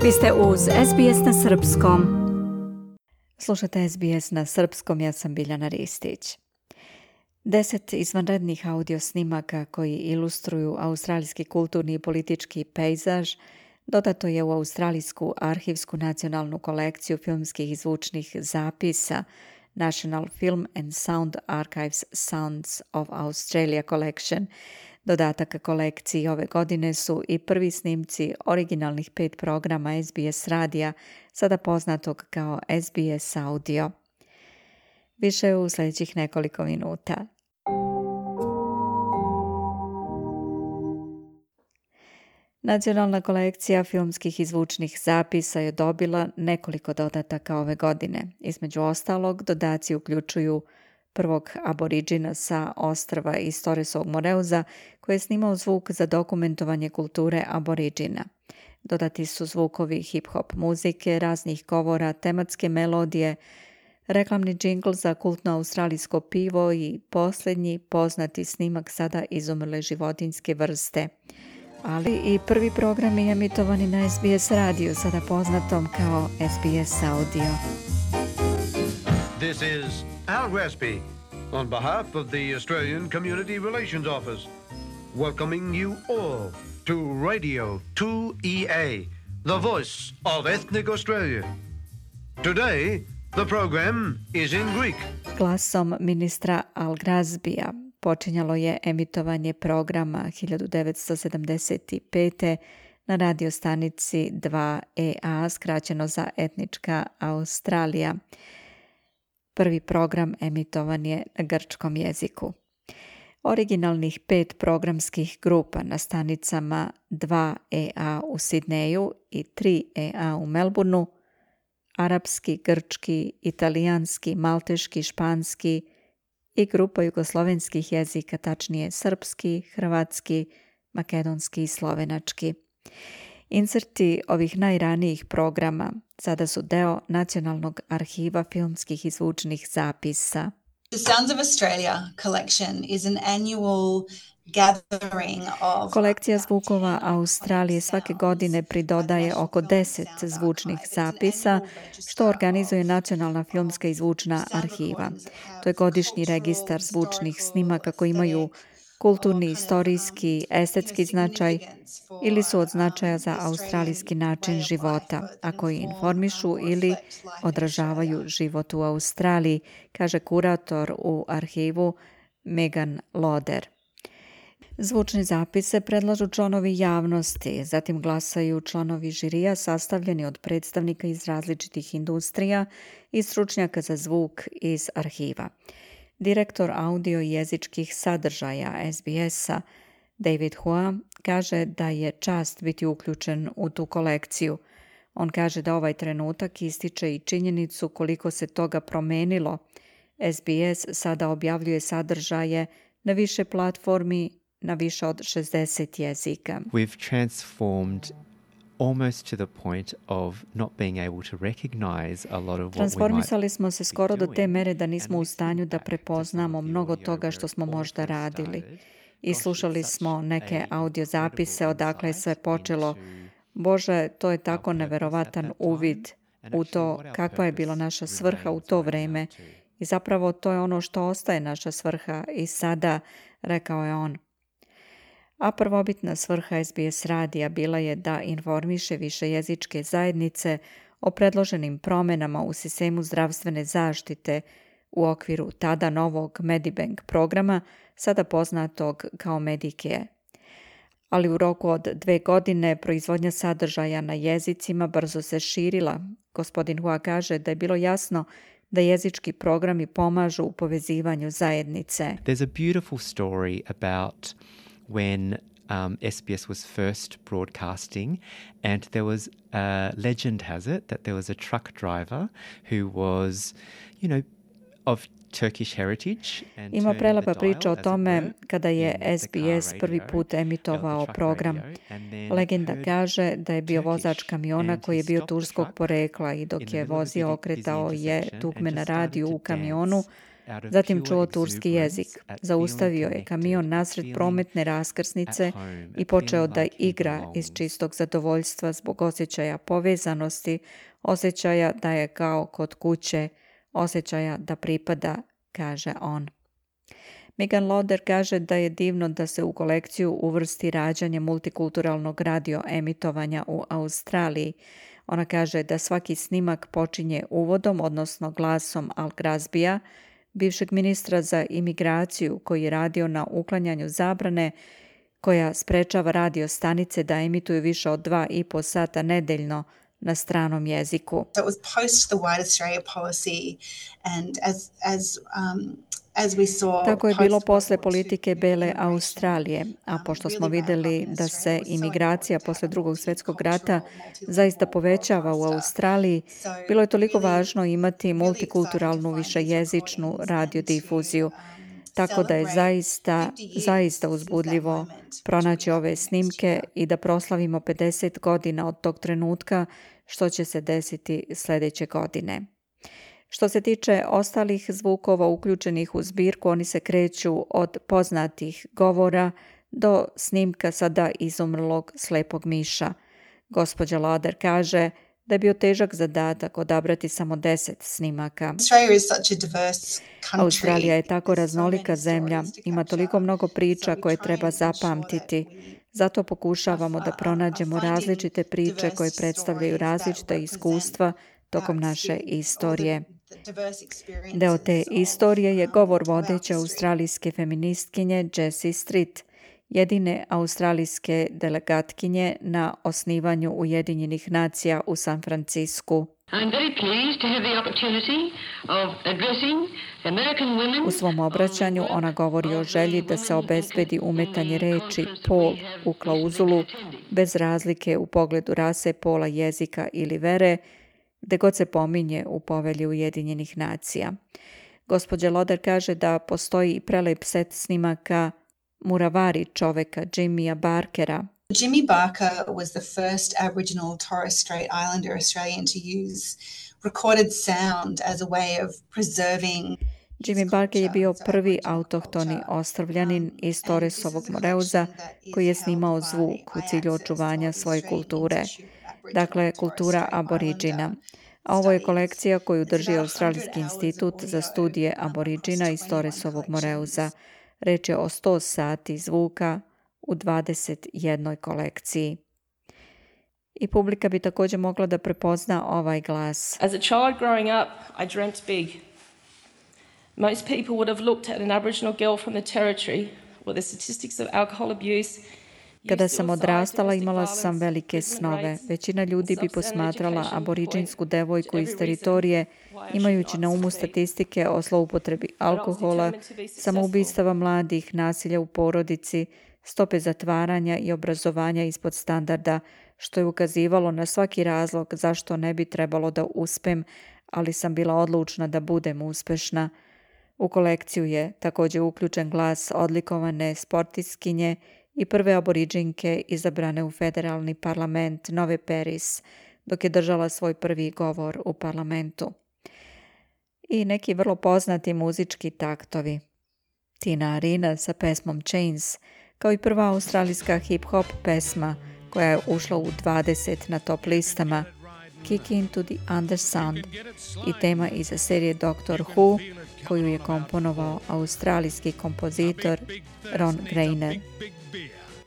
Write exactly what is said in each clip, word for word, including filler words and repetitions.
Vi ste uz S B S na srpskom. Slušate S B S na srpskom, ja sam Biljana Ristić. Deset izvanrednih audio snimaka koji ilustruju australijski kulturni i politički pejzaž dodato je u Australijsku arhivsku nacionalnu kolekciju filmskih i zvučnih zapisa National Film and Sound Archives Sounds of Australia Collection. Dodatak kolekciji ove godine su i prvi snimci originalnih pet programa S B S radija, sada poznatog kao S B S Audio. Više u sljedećih nekoliko minuta. Nacionalna kolekcija filmskih i zvučnih zapisa je dobila nekoliko dodataka ove godine. Između ostalog, dodaci uključuju prvog aboriđina sa ostrva iz Torresovog Moreuza koji je snimao zvuk za dokumentovanje kulture aboriđina. Dodati su zvukovi hip-hop muzike, raznih govora, tematske melodije, reklamni džingl za kultno australijsko pivo i posljednji poznati snimak sada izumrle životinjske vrste. Ali i prvi program je emitovani na S B S radiju, sada poznatom kao S B S Audio. This is Al Gresby, on behalf of the Australian Community Relations Office, welcoming you all to Radio two E A, the voice of ethnic Australia. Today, the program is in Greek. Glasom ministra Al Gresbya počinjalo je emitovanje programa hiljadu devetsto sedamdeset pete. na radiostanici dva E A, skraćeno za etnička Australija. Prvi program emitovan je na grčkom jeziku. Originalnih pet programskih grupa na stanicama dva E A u Sidneju i tri E A u Melbourneu, arapski, grčki, italijanski, malteški, španski i grupa jugoslovenskih jezika, tačnije srpski, hrvatski, makedonski i slovenački. Inserti ovih najranijih programa sada su deo Nacionalnog arhiva filmskih i zvučnih zapisa. The Sounds of Australia collection is an annual gathering of... Kolekcija zvukova Australije svake godine pridodaje oko deset zvučnih zapisa, što organizuje Nacionalna filmska i zvučna arhiva. To je godišnji registar zvučnih snimaka koji imaju kulturni, istorijski, estetski značaj ili su od značaja za australijski način života, a koji informišu ili odražavaju život u Australiji, kaže kurator u arhivu Megan Loder. Zvučne zapise predlažu članovi javnosti, zatim glasaju članovi žirija sastavljeni od predstavnika iz različitih industrija i stručnjaka za zvuk iz arhiva. Direktor audio i jezičkih sadržaja S B S-a David Hua kaže da je čast biti uključen u tu kolekciju. On kaže da ovaj trenutak ističe i činjenicu koliko se toga promenilo. S B S sada objavljuje sadržaje na više platformi na više od šezdeset jezika. We've transformed almost to the point of not being able to recognize a lot of what we Transformisali smo se skoro do te mere da nismo u stanju da prepoznamo mnogo toga što smo možda radili. I slušali smo neke audio zapise odakle je sve počelo. Bože, to je tako neverovatan uvid u to kakva je bila naša svrha u to vreme. I zapravo to je ono što ostaje naša svrha i sada, rekao je on. A prvobitna svrha S B S radija bila je da informiše višejezičke zajednice o predloženim promenama u sistemu zdravstvene zaštite u okviru tada novog Medibank programa, sada poznatog kao Medicare. Ali u roku od dve godine proizvodnja sadržaja na jezicima brzo se širila. Gospodin Hua kaže da je bilo jasno da jezički programi pomažu u povezivanju zajednice. There's a beautiful story about when um, S B S was first broadcasting, and there was, uh, legend has it, that there was a truck driver who was, you know, of Turkish heritage. And Ima prelepa priča o tome kada je S B S prvi put emitovao program. Legenda kaže da je bio vozač kamiona koji je bio turskog porekla i dok je vozio okretao je dugme na radiju u kamionu, Zatim čuo turski jezik. Zaustavio je kamion nasred prometne raskrsnice i počeo da igra iz čistog zadovoljstva zbog osjećaja povezanosti, osjećaja da je kao kod kuće, osjećaja da pripada, kaže on. Megan Lauder kaže da je divno da se u kolekciju uvrsti rađanje multikulturalnog radio emitovanja u Australiji. Ona kaže da svaki snimak počinje uvodom, odnosno glasom Al Grazbija, bivšeg ministra za imigraciju koji je radio na uklanjanju zabrane koja sprečava radio stanice da emituju više od dva i po sata nedeljno na stranom jeziku. So it was post the White Australia policy and as as um as we saw. Tako je bilo posle politike Bele Australije, a pošto smo vidjeli da se imigracija posle drugog svjetskog rata zaista povećava u Australiji, bilo je toliko važno imati multikulturalnu višejezičnu radiodifuziju. Tako da je zaista, zaista uzbudljivo pronaći ove snimke i da proslavimo pedeset godina od tog trenutka, što će se desiti sljedeće godine. Što se tiče ostalih zvukova uključenih u zbirku, oni se kreću od poznatih govora do snimka sada izumrlog slepog miša. Gospođa Lauder kaže da je bio težak zadatak odabrati samo deset snimaka. Australija je tako raznolika zemlja, ima toliko mnogo priča koje treba zapamtiti. Zato pokušavamo da pronađemo različite priče koje predstavljaju različita iskustva tokom naše istorije. Deo te istorije je govor vodeće australijske feministkinje Jessie Street, jedine australijske delegatkinje na osnivanju Ujedinjenih nacija u San Francisku. U svom obraćanju ona govori o želji da se obezbedi umetanje reči pol u klauzulu bez razlike u pogledu rase, pola, jezika ili vere, gde god se pominje u povelji Ujedinjenih nacija. Gospođa Lauder kaže da postoji i prelep set snimaka Muravari čoveka Jimmya Barkera. Jimmy Barker was the first Aboriginal Torres Strait Islander Australian to use recorded sound as a way of preserving. Jimmy Barker je bio prvi autohtoni ostrvljanin iz Torresovog Moreuza koji je snimao zvuk u cilju očuvanja svoje kulture. Dakle, kultura aboriđina. A ovo je kolekcija koju drži Australijski institut za studije aboriđina iz Torresovog Moreuza. Reč je o sto sati zvuka u dvadeset jednoj kolekciji. I publika bi također mogla da prepozna ovaj glas. As a child growing up, I dreamt big. Most people would have looked at an Aboriginal girl from the territory where the statistics of alcohol abuse. Kada sam odrastala, imala sam velike snove. Većina ljudi bi posmatrala aboriđinsku devojku iz teritorije, imajući na umu statistike o zloupotrebi alkohola, samoubistava mladih, nasilja u porodici, stope zatvaranja i obrazovanja ispod standarda, što je ukazivalo na svaki razlog zašto ne bi trebalo da uspem, ali sam bila odlučna da budem uspešna. U kolekciju je također uključen glas odlikovane sportistkinje i prve aboriđinke izabrane u federalni parlament Nove Peris, dok je držala svoj prvi govor u parlamentu. I neki vrlo poznati muzički taktovi. Tina Arena sa pesmom Chains, kao i prva australijska hip-hop pesma koja je ušla u dvadeset na top listama, Kick Into the Undersound, i tema iz serije Doctor Who, koju je komponovao australijski kompozitor Ron Grainer.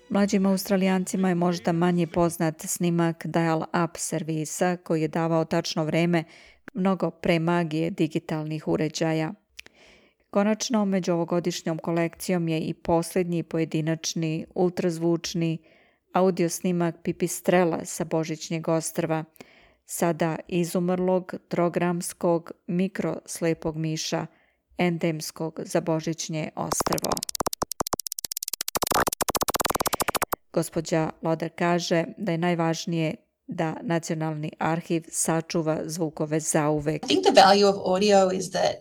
Mlađim Australijancima je možda manje poznat snimak dial-up servisa koji je davao tačno vreme mnogo pre magije digitalnih uređaja. Konačno, među ovogodišnjom kolekcijom je i posljednji pojedinačni ultrazvučni audio snimak Pipistrela sa Božićnjeg ostrva, sada izumrlog trogramskog mikroslepog miša endemskog za Božićnje ostrvo. Gospođa Lauder kaže da je najvažnije da Nacionalni arhiv sačuva zvukove zauvek. I think the value of audio is that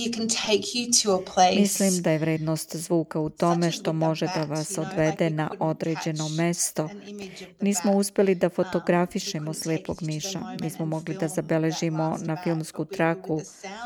you can take you to a place. Mislim da je vrednost zvuka u tome što može da vas odvede na određeno mesto. Nismo uspjeli da fotografišemo slijepog miša. Nismo mogli da zabeležimo na filmsku traku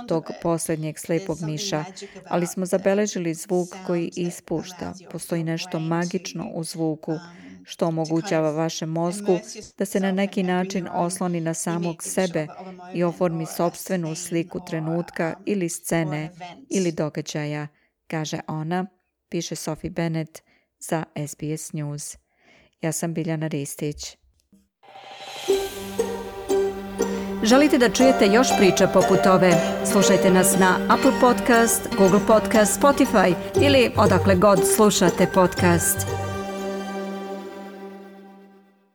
tog posljednjeg slijepog miša, ali smo zabeležili zvuk koji ispušta. Postoji nešto magično u zvuku što omogućava vašem mozgu da se na neki način osloni na samog sebe i oformi sopstvenu sliku trenutka ili scene ili događaja, kaže ona, piše Sophie Bennett za S B S News. Ja sam Biljana Ristić. Želite da čujete još priča poput ove? Slušajte nas na Apple Podcast, Google Podcast, Spotify ili odakle god slušate podcast.